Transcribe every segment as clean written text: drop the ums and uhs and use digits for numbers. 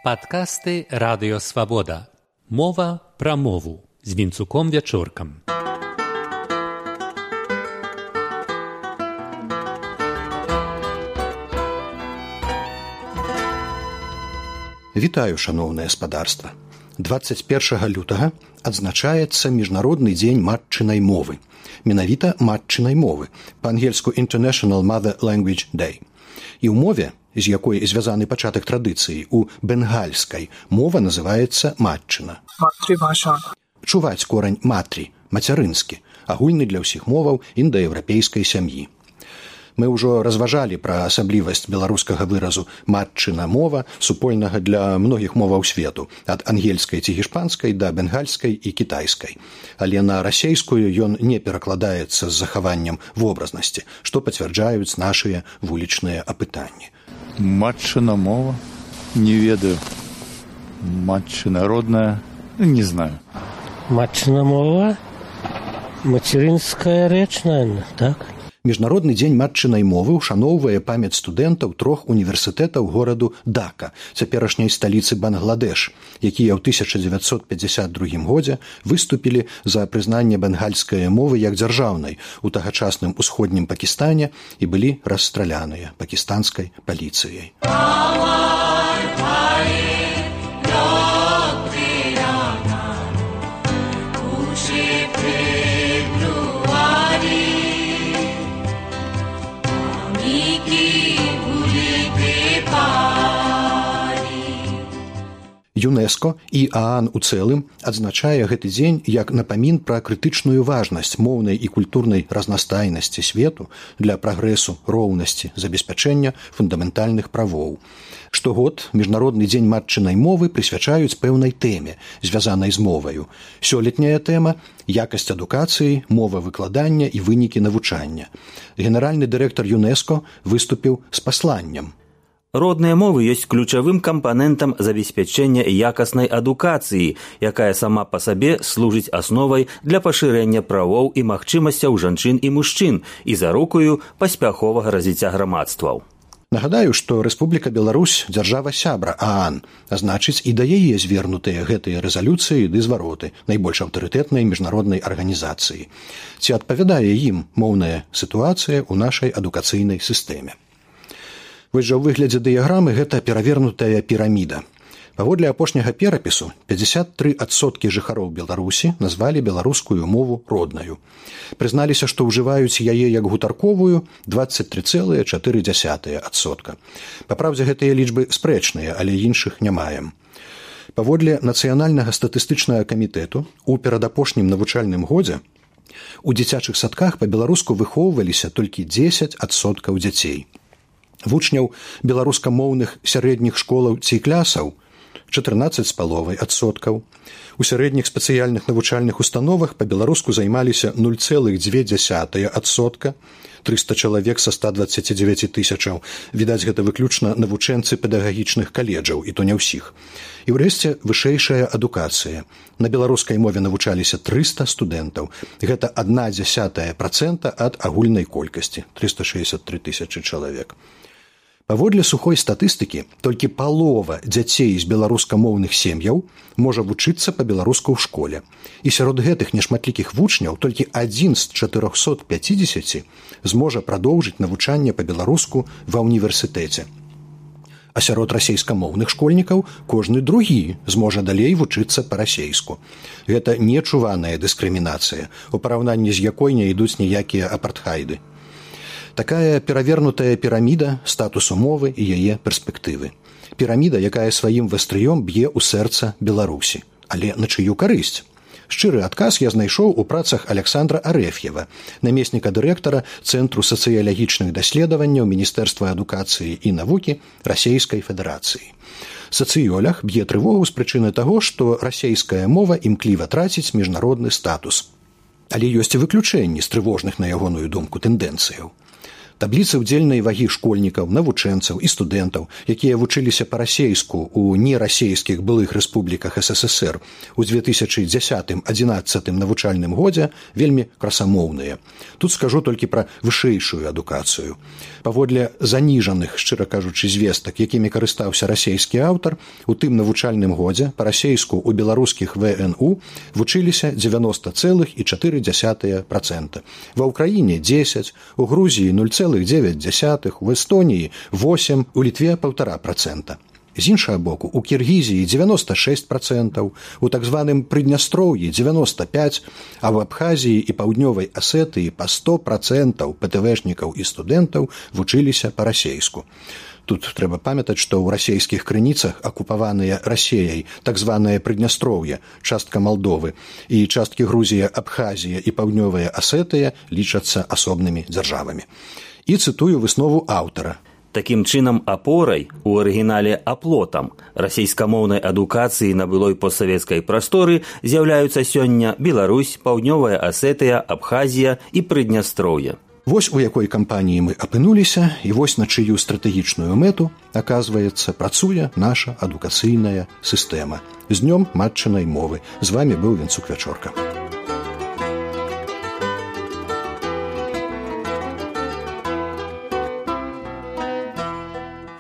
Падкасты Радыё Свабода. Мова пра мову з Вінцуком Вячоркам. Вітаю, шаноўнае гаспадарства. 21 лютага адзначаецца Міжнародны дзень матчынай мовы. Менавіта матчынай мовы, па-ангельску International Mother Language Day. І ў мове, з якой звязаны пачатак традыцыі, у бенгальскай мова называецца матчына. Чуваць корань матрі, мацярынскі, агульны для ўсіх моваў індаеўрапейскай сям'і. Мы ўжо разважалі пра асаблівасць беларускага выразу матчына мова, супольнага для многіх моваў свету, ад ангельскай ці гішпанскай да бенгальскай і кітайскай. Але на расейскую ён не перакладаецца з захаваннем вобразнасці, што пацвярджаюць нашыя вулічныя апытанні. Матчына мова? Не ведаю. Матчына родная? Не знаю. Матчына мова? Мацярынская рэч, наверное, так? Міжнародны дзень матчынай мовы ушаноўвае памяць студэнтаў 3 універсітэтаў гораду Дака, цяперашняй сталіцы Бангладеш, якія ў 1952 годзе выступілі за прызнанне бенгальскай мовы як дзяржаўнай у тагачасным усходнім Пакістане і былі расстраляныя пакістанскай паліцыяй. ЮНЕСКО і ААН у цэлым адзначае гэты дзень як напамін пра крытычную важнасць моўнай і культурнай разнастайнасці свету для прагрэсу, роўнасці, забеспячэння фундаментальных правоў. Штогод Міжнародны дзень матчынай мовы прысвячаюць пэўнай тэме, звязанай з моваю. Сёлетняя тэма – якасць адукацыі, мова выкладання і вынікі навучання. Генеральны дырэктар ЮНЕСКО выступіў з пасланнем. Родныя мовы ёсць ключавым кампанентам забеспячэння якаснай адукацыі, якая сама па сабе служыць асновай для пашырэння правоў і магчымасцяў жанчын і мужчын і зарукаю паспяховага развіцця грамадстваў. Нагадаю, што Рэспубліка Беларусь – дзяржава-сябра ААН, а значыць і да яе звернутыя гэтыя рэзалюцыі ды звароты найбольш аўтарытэтнай міжнароднай арганізацыі. Ці адпавядае ім моўная сітуацыя ў нашай адукацыйнай сістэме? Вось жа ў выглядзе дыяграмы гэта перавернутая піраміда. Паводле апошняга перапісу 53% жыхароў Беларусі назвалі беларускую мову роднаю. Прызналіся, што ўжываюць яе як гутарковую 23,4%. Па праўдзе, гэтыя лічбы спрэчныя, але іншых не маем. Паводле Нацыянальнага статыстычнага камітэту у перадапошнім навучальным годзе у дзіцячых садках па-беларуску выхоўваліся толькі 10% дзяцей. Вучняў беларускамоўных сярэдніх школаў ці клясаў 14,5%. У сярэдніх спецыяльных навучальных установах па-беларуску займаліся 0,2%, 300 чалавек са 129 тысячаў. Відаць, гэта выключна навучэнцы педагагічных каледжаў, і то не ўсіх. І ўрэшце вышэйшая адукацыя. На беларускай мове навучаліся 300 студэнтаў. Гэта 0,1% ад агульнай колькасці 363 тысячы чалавек. Паводле сухой статыстыкі, толькі палова дзяцей з беларускамоўных сем'яў можа вучыцца па-беларуску ў школе. І сярод гэтых нешматлікіх вучняў толькі 1 з 450 зможа прадоўжыць навучанне па-беларуску ва ўніверсітэце. А сярод расейскамоўных школьнікаў кожны другі зможа далей вучыцца па-расейску. Гэта нечуваная дыскрымінацыя, у параўнанні з якой не ідуць ніякія апартхайды. Такая перавернутая піраміда статусу мовы і яе перспектывы. Піраміда, якая сваім вастрыём б'е ў сэрца Беларусі. Але на чыю карысць? Шчыры адказ я знайшоў у працах Александра Арэф'ева, намесніка дырэктара Цэнтру сацыялагічных даследаванняў Міністэрства адукацыі і навукі Расейскай Федэрацыі. Сацыёлаг б'е трывогу з прычыны таго, што расейская мова імкліва траціць міжнародны статус. Але ёсць і выключэнні з трывожных, на ягоную думку, тэндэнцыяў. Табліцы ўдзельнай вагі школьнікаў, навучэнцаў і студэнтаў, якія вучыліся па-расейску ў нерасейскіх былых рэспубліках СССР у 2010-11 навучальным годзе вельмі красамоўныя. Тут скажу толькі пра вышэйшую адукацыю. Паводле заніжаных, шчыра кажучы, звестак, якімі карыстаўся расейскі аўтар, у тым навучальным годзе па-расейску ў беларускіх ВНУ вучыліся 90,4%. Ва ўкраіне 10, у Грузіі 0,9, у Эстоніі 8, у Літве 1,5%. З іншага боку, у Кіргізіі 96%, у так званым Прыднястроўі 95%, а в Абхазіі і Паўднёвай Асетыі па 100% ПТВшнікаў і студэнтаў вучыліся па-расейску. Тут трэба памятаць, што ў расейскіх крыніцах акупаваныя Расеяй так званае Прыднястроўе, частка Малдовы, і часткі Грузія, Абхазія і Паўднёвая Асетыя лічацца асобнымі дзяржавамі. І цытую выснову аўтара. Такім чынам, апорай, у арыгінале аплотам, расейскамоўнай адукацыі на былой постсавецкай прасторы з'яўляюцца сёння Беларусь, Паўднёвая Асетыя, Абхазія і Прыднястроўе. Вось у якой кампаніі мы апынуліся, і вось на чыю стратэгічную мэту, аказваецца, працуе наша адукацыйная сістэма. З днём матчынай мовы. З вамі быў Вінцук Вячорка.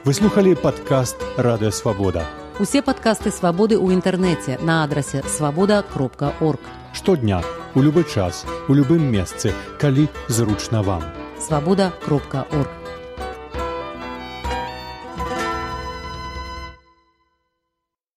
Вы слухали падкаст «Радыё Свабода». Усе падкасты «Свабоды» ў інтэрнэце на адрасе свабода.орг. Штодня, у любы час, у любым месцы, калі зручна вам. Свабода.орг.